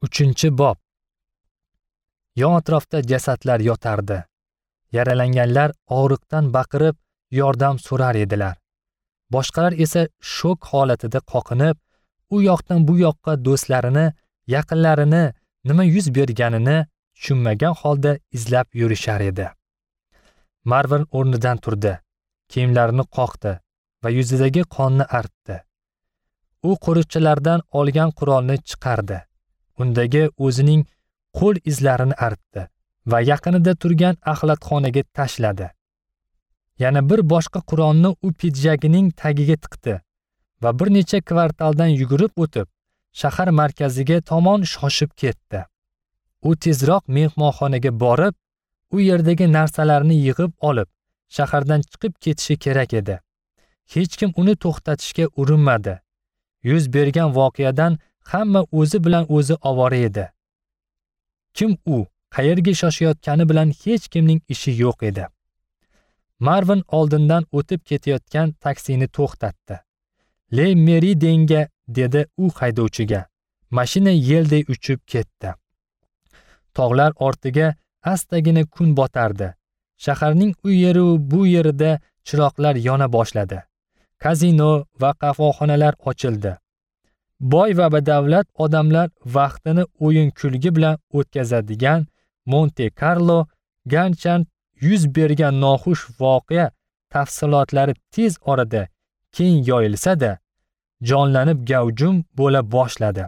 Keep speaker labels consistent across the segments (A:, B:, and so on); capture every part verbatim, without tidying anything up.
A: Uchinchi bob. Yon atrofda jasadlar yotardi. Yaralanganlar og'riqdan baqirib yordam so'rar edilar. Boshqalar esa shok holatida qoqinib, u yoqdan bu yoqqa do'stlarini, yaqinlarini, nima yuz berganini tushunmagan holda izlab yurishar edi. Marvin o'rnidan turdi, kiyimlarini qoqdi va yuzidagi qonni artdi. U qo'riqchilardan olgan qurolni chiqardi. Undagi o'zining qo'l izlarini artdi va yaqinida turgan axlatxonaga tashladi. Yana bir boshqa qurolni u pidjagining tagiga tiqdi va bir necha kvartaldan yugurib o'tib, shahar markaziga tomon shoshib ketdi. U tezroq mehmonxonaga borib, u yerdagi narsalarni yig'ib olib, shahardan chiqib ketishi kerak edi. Hech kim uni to'xtatishga urinmadi. Yuz bergan voqeadan hamma o'zi bilan o'zi ovora edi. Kim u, qayerga shoshayotgani bilan hech kimning ishi yo'q edi. Marvin oldindan o'tib ketayotgan taksini to'xtatdi. "Le Meridenga", dedi u haydovchiga. Mashina yelday uchib ketdi. Tog'lar ortiga astagina kun botardi. Shaharning u yeri bu yerida chiroqlar yona boshladi. Kazino va qahvaxonalar ochildi. Boy va badavlat odamlar vaqtini o'yin-kulgi bilan o'tkazadigan Monte Carlo Ganchan yuz bergan noxush voqea tafsilotlari tez orada keng yoyilsa-da, jonlanib gavjum bo'la boshladi.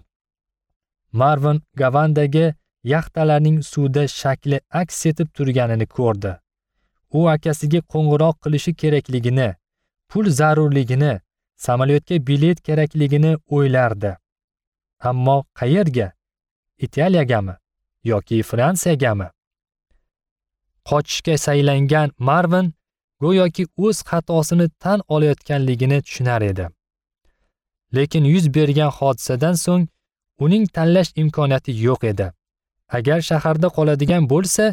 A: Marvin Gavandagi yaxtalarning suvda shakli aks etib turganini ko'rdi. U akasiga qo'ng'iroq qilishi kerakligini, pul zarurligini, samolyotga bilet kerakligini o'ylardi. Ammo qayerga? Italiyagami yoki Fransiyagami? Qochishga saylangan Marvin go'yoki o'z xatosini tan olayotganligini tushunar edi. Lekin yuz bergan hodisadan so'ng uning tanlash imkoniyati yo'q edi. Agar shaharda qoladigan bo'lsa,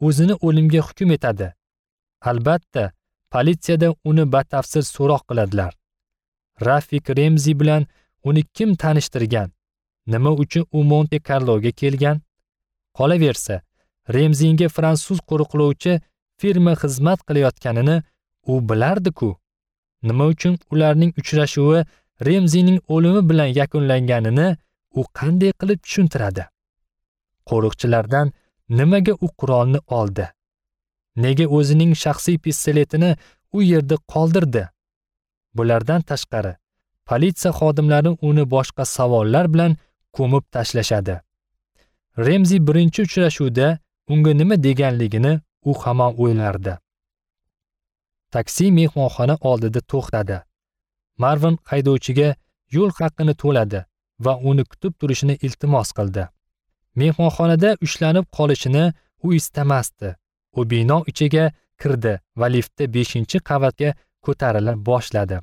A: o'zini o'limga hukm etadi. Albatta, politsiyada uni batafsil so'roq qiladilar. Rafik Remzi bilan uni kim tanishtirgan? Nima uchun u Monte Carloga kelgan? Qolaversa, Remzinga fransuz qo'riqlovchi firma xizmat qilayotganini u bilardi-ku. Nima uchun ularning uchrashuvi Remzining o'limi bilan yakunlanganini u qanday qilib tushuntiradi? Qo'riqchilardan nimaga u qurolni oldi? Nega o'zining shaxsiy pistoletini u yerda qoldirdi? Bulardan tashqari, politsiya xodimlari uni boshqa savollar bilan ko'mib tashlashadi. Remzi birinchi uchrashuvda unga nima deganligini u hamon o'ylardi. Taksi mehmonxona oldida to'xtadi. Marvin haydovchiga yo'l haqini to'ladi va uni kutib turishini iltimos qildi. Mehmonxonada ushlanib qolishini u istamasdi. U bino ichiga kirdi va liftda beshinchi qavatga ko'tarila boshladi.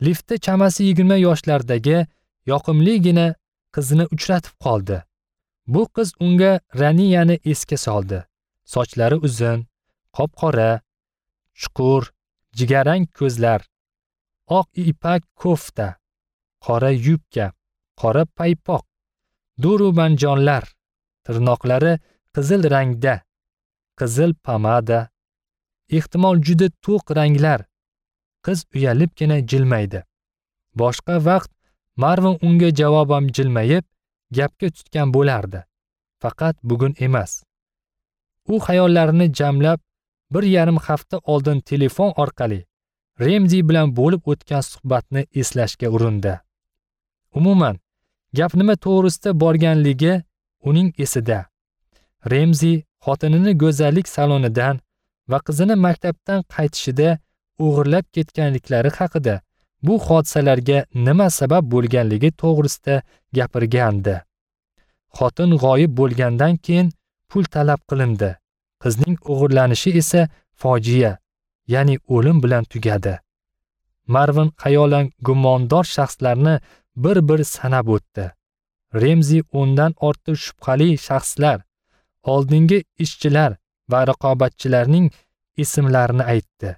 A: Liftda chamasi yigirma yoshlardagi yoqimligina qizni uchratib qoldi. Bu qiz unga Raniyani esga soldi. Sochlari uzun, qop-qora, chuqur, jigarrang ko'zlar, oq ipak kofta, qora yubka, qora paypoq, durubanjonlar, tirnoqlari qizil rangda, qizil pomada, ehtimol juda to'q ranglar. Qiz uyalibgina jilmaydi. Boshqa vaqt Marvin unga javoban jilmayib, gapga tutgan bo'lardi. Faqat bugun emas. U xayollarini jamlab, bir yarim hafta oldin telefon orqali Remzi bilan bo'lib o'tgan suhbatni eslashga urindi. Umuman, gap nima to'g'risida borganligi uning esida. Remzi xotinini go'zallik salonidan va qizini maktabdan qaytishida o'g'irlab ketganliklari haqida, bu hodisalarga nima sabab bo'lganligi to'g'risida gapirgandi. Xotin g'oyib bo'lgandan keyin pul talab qilindi. Qizning o'g'irlanishi esa fojia, ya'ni o'lim bilan tugadi. Marvin xayolan gumondor shaxslarni bir-bir sanab o'tdi. Remzi o'ndan ortiq shubhali shaxslar, oldingi ishchilar va raqobatchilarning ismlarini aytdi.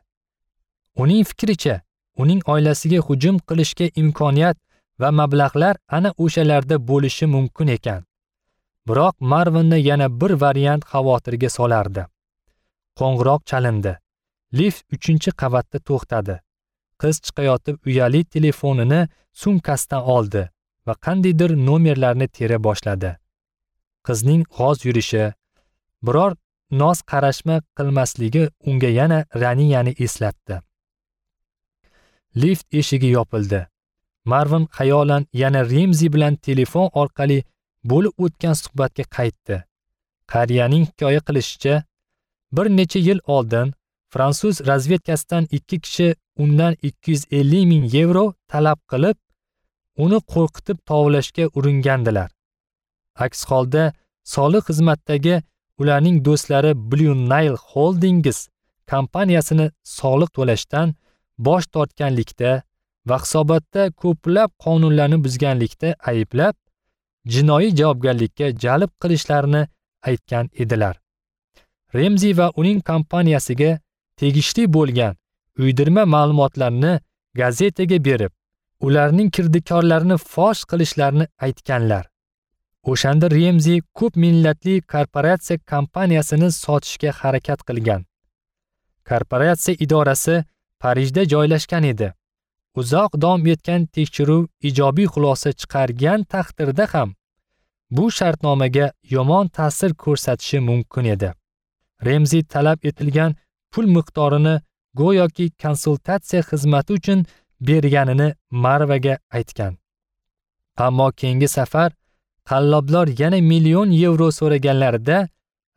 A: Uning fikricha, uning oilasiga hujum qilishga imkoniyat va mablag'lar ana o'shalarda bo'lishi mumkin ekan. Biroq Marvinni yana bir variant xavotirga solardi. Qo'ng'iroq chalindi. Lift uchinchi qavatda to'xtadi. Qiz chiqayotib uyali telefonini sumkasidan oldi va qandaydir nomerlarni tera boshladi. Qizning g'oz yurishi, biror noz qarashma qilmasligi unga yana Raniyani eslatdi. Lift eshigi yopildi. Marvin xayolan yana Remzi bilan telefon orqali bo'lib o'tgan suhbatga qaytdi. Qariyaning hikoya qilishicha, bir necha yil oldin fransuz razvedkasidan ikki kishi undan ikki yuz ellik ming yevro talab qilib, uni qo'rqitib tovlashga uringandilar. Aks holda soliq xizmatdagi ularning do'stlari Blue Nile Holdings kompaniyasini soliq to'lashdan bosh tortganlikda va hisobotda ko'plab qonunlarni buzganlikda ayblab, jinoiy javobgarlikka jalb qilishlarini aytgan edilar. Remzi va uning kompaniyasiga tegishli bo'lgan uydirma ma'lumotlarni gazetaga berib, ularning kirdikorlarini fosh qilishlarini aytganlar. O'shanda Remzi ko'p millatli korporatsiya kompaniyasini sotishga harakat qilgan. Korporatsiya idorasi Parijda joylashgan edi. Uzoq davom etgan tekshiruv ijobiy xulosa chiqargan taqdirda ham bu shartnomaga yomon ta'sir ko'rsatishi mumkin edi. Remzi talab etilgan pul miqdorini go'yoki konsultatsiya xizmati uchun berganini Marvaga aytgan. Ammo keyingi safar qalloblar yana million yevro so'raganlarida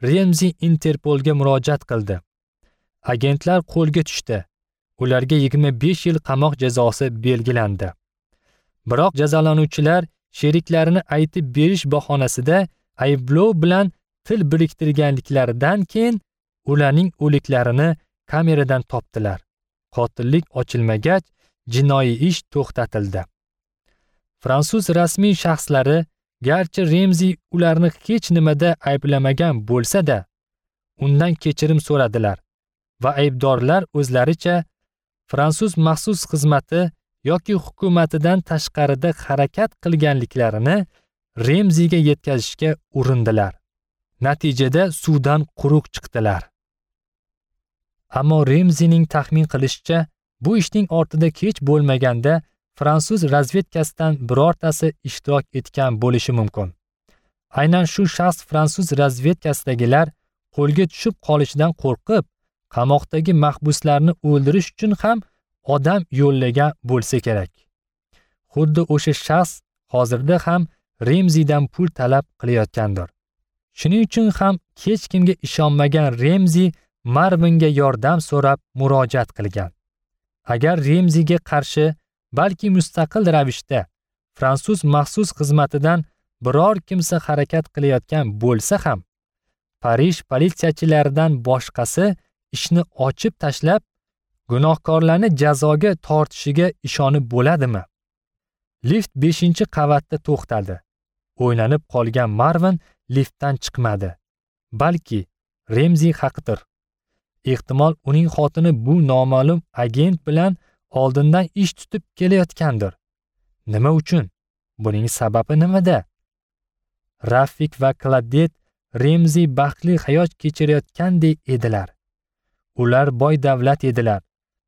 A: Remzi Interpolga murojaat qildi. Agentlar qo'lga tushdi. Ularga yigirma besh yil qamoq jazosi belgilandi. Biroq jazolanuvchilar sheriklarini aytib berish bahonasida ayblov bilan til biriktirganliklaridan keyin ularning o'liklarini kameradan topdilar. Qotillik ochilmagach, jinoiy ish to'xtatildi. Fransuz rasmiy shaxslari garchi Remzi ularni hech nimada ayblamagan bo'lsa-da, undan kechirim so'radilar va aybdorlar o'zlaricha fransuz maxsus xizmati yoki hukumatidan tashqarida harakat qilganliklarini Remziga yetkazishga urindilar. Natijada suvdan quruq chiqdilar. Ammo Remzining taxmin qilishicha, bu ishning ortida kech bo'lmaganda fransuz razvedkasidan birortasi ishtirok etgan bo'lishi mumkin. Aynan shu shaxs fransuz razvedkasidagilar qo'lga tushib qolishidan qo'rqib, qamoqdagi mahbuslarni o'ldirish uchun ham odam yo'llagan bo'lsa kerak. Xuddi o'sha shaxs hozirda ham Remzidan pul talab qilayotgandir. Shuning uchun ham hech kimga ishonmagan Remzi Marvinga yordam so'rab murojaat qilgan. Agar Remziga qarshi balki mustaqil ravishda fransuz maxsus xizmatidan biror kimsa harakat qilayotgan bo'lsa ham, Parij politsiyachilaridan boshqasi ishni ochib tashlab, gunohkorlarni jazoga tortishiga ishonib bo'ladimi? Lift beshinchi qavatda to'xtadi. O'ylanib qolgan Marvin liftdan chiqmadi. Balki Remzi haqdir. Ehtimol uning xotini bu noma'lum agent bilan oldindan ish tutib kelayotgandir. Nima uchun? Buning sababi nimada? Rafik va Kladet Remzi baxtli hayot kechirayotgandek edilar. Ular boy davlat edilar.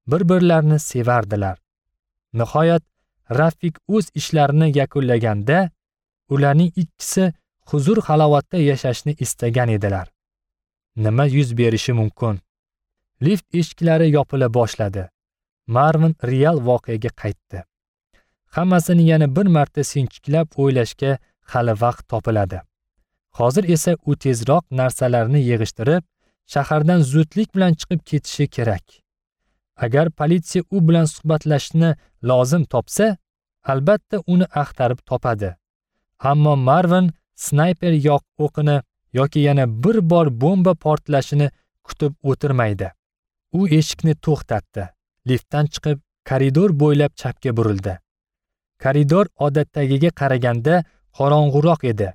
A: Bir-birlarini sevardilar. Nihoyat Rafik o'z ishlarini yakunlaganda, ularning ikkisi huzur halovatda yashashni istagan edilar. Nima yuz berishi mumkin? Lift eshiklari yopila boshladi. Marvin real voqeaga qaytdi. Hammasini yana bir marta sinchiklab o'ylashga hali vaqt topiladi. Hozir esa u tezroq narsalarni yig'ishtirib, shahardan zudlik bilan chiqib ketishi kerak. Agar politsiya u bilan suhbatlashishni lozim topsa, albatta uni axtarib topadi. Ammo Marvin snayper yoq o'qini yoki yana bir bor bomba portlashini kutib o'tirmaydi. U eshikni to'xtatdi. Liftdan chiqib, koridor bo'ylab chapga burildi. Koridor odatdagiga qaraganda qorong'uroq edi.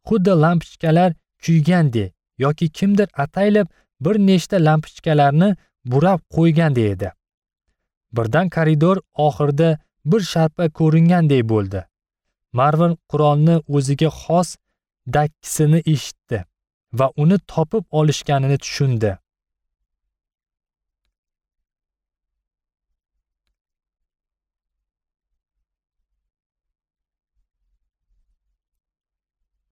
A: Xuddi lampochkalar kuygandek yoki kimdir ataylab bir nechta lampochkalarni burab qo'ygandek edi. Birdan koridor oxirida bir sharpa ko'ringandek bo'ldi. Marvin qurolni o'ziga xos dakkisini eshitdi va uni topib olishganini tushundi.